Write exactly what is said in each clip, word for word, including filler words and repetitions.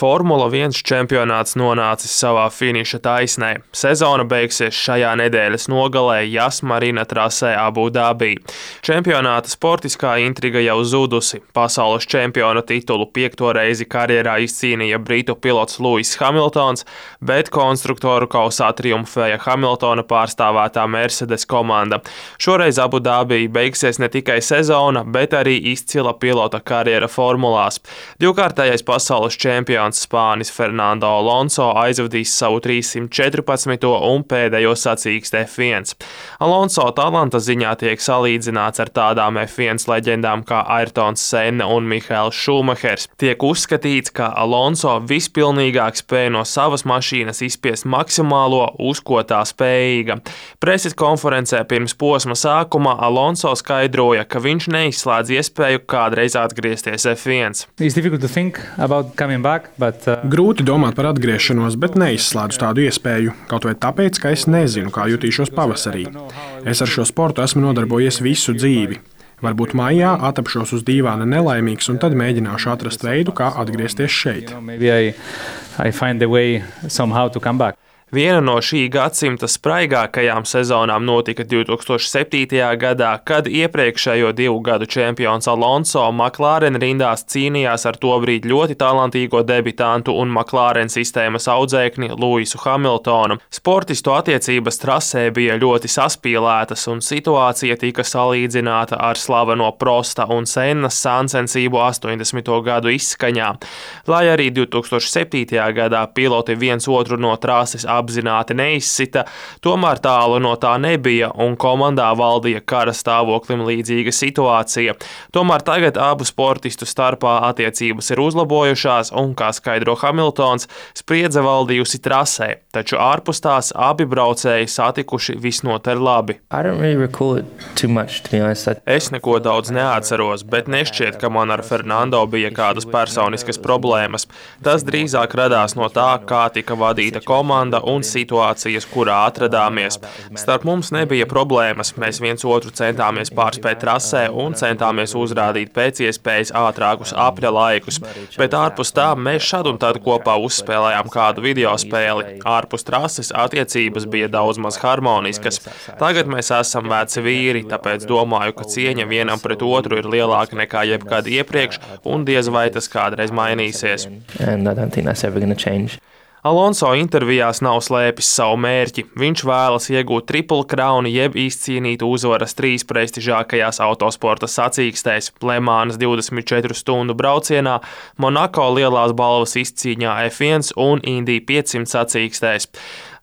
Formula viens čempionāts nonācis savā finiša taisnē. Sezona beigsies šajā nedēļas nogalē Yas Marina trasē Abu Dabī. Čempionāta sportiskā intriga jau zudusi. Pasaules čempiona titulu piekto reizi karjerā izcīnīja britu pilots Lewis Hamiltons, bet konstruktoru kausā triumfēja Hamiltona pārstāvētā Mercedes komanda. Šoreiz Abu Dabī beigsies ne tikai sezona, bet arī izcila pilota karjera formulās. Divkārtējais pasaules čempions Spānis Fernando Alonso aizvadīs savu trīssimt četrpadsmito un pēdējo sacīksti F viens. Alonso talanta ziņā tiek salīdzināts ar tādām F viens leģendām kā Ayrtons Senna un Mihaels Šumahers. Tiek uzskatīts, ka Alonso vispilnīgāk spēj no savas mašīnas izspiest maksimālo, uz ko tā spējīga. Preses konferencē pirms posma sākuma Alonso skaidroja, ka viņš neizslēdz iespēju kādreiz atgriezties F viens. Back, but, uh... Grūti domāt par atgriešanos, bet neizslēdzu tādu iespēju, kaut vai tāpēc, ka es nezinu, kā jutīšos pavasarī. Es ar šo sportu esmu nodarbojies visu dzīvi. Varbūt maijā atapšos uz dīvāna nelaimīgs un tad mēģināšu atrast veidu, kā atgriezties šeit. Viena no šī gadsimta spraigākajām sezonām notika divtūkstoš septītajā gadā, kad iepriekšējo divu gadu čempions Alonso McLaren rindās cīnījās ar tobrīd ļoti talantīgo debitantu un McLaren sistēmas audzēkni Lewisu Hamiltonu. Sportistu attiecības trasē bija ļoti saspīlētas un situācija tika salīdzināta ar slaveno Prosta un Sennas sāncensību astoņdesmito gadu izskaņā. Lai arī divtūkstoš septītajā gadā piloti viens otru no trases apzināti neizsita, tomēr tālu no tā nebija un komandā valdīja kara stāvoklim līdzīga situācija. Tomēr tagad abu sportistu starpā attiecības ir uzlabojušās un, kā skaidro Hamiltons, spriedze valdījusi trasē, taču ārpus tās abi braucēji satikuši visnotaļ labi. Es neko daudz neatceros, bet nešķiet, ka man ar Fernando bija kādas personiskas problēmas. Tas drīzāk radās no tā, kā tika vadīta komanda un situācijas, kurā atradāmies. Starp mums nebija problēmas, mēs viens otru centāmies pārspēt trasē un centāmies uzrādīt pēc iespējas ātrākus apļa laikus, bet ārpus tā mēs šad un tad kopā uzspēlējām kādu video spēli. Ārpus trases attiecības bija daudz maz harmoniskas. Tagad mēs esam veci vīri, tāpēc domāju, ka cieņa vienam pret otru ir lielāka nekā jebkad iepriekš un diez vai tas kādreiz mainīsies. Alonso intervijās nav slēpis savu mērķi. Viņš vēlas iegūt triple crown jeb izcīnīt uzvaras trīs prestižākajās autosporta sacīkstēs – Le Mans divdesmit četru stundu braucienā, Monako lielās balvas izcīņā F viens un Indy piecsimt sacīkstēs.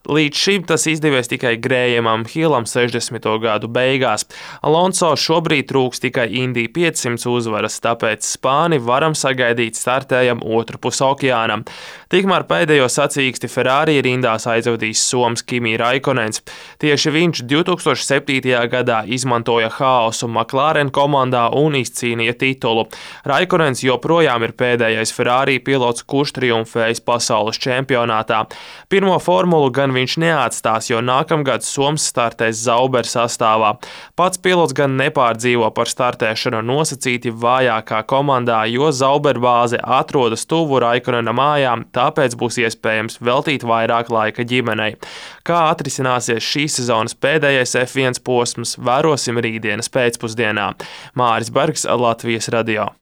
Līdz šim tas izdevies tikai Grējamam Hillam sešdesmito gadu beigās. Alonso šobrīd trūks tikai Indy piecsimt uzvaras, tāpēc Spāni varam sagaidīt startējam otru pus okeānam. Tikmēr pēdējo sacīksti Ferrari rindās aizvadīs soms Kimi Raikonens. Tieši viņš divtūkstoš septītajā gadā izmantoja haosu McLaren komandā un izcīnīja titulu. Raikonens joprojām ir pēdējais Ferrari pilots, kurš triumfējis pasaules čempionātā. Pirmo formulu gan viņš neatstās, jo nākamgad soms startēs Sauber sastāvā. Pats pilots gan nepārdzīvo par startēšanu nosacīti vājākā komandā, jo Sauber bāze atrodas tuvu Raikonena mājām, tāpēc būs iespējams veltīt vairāk laika ģimenei. Kā atrisināsies šīs sezonas pēdējais F viens posms, vērosim rītdienas pēcpusdienā. Māris Bergs, Latvijas radio.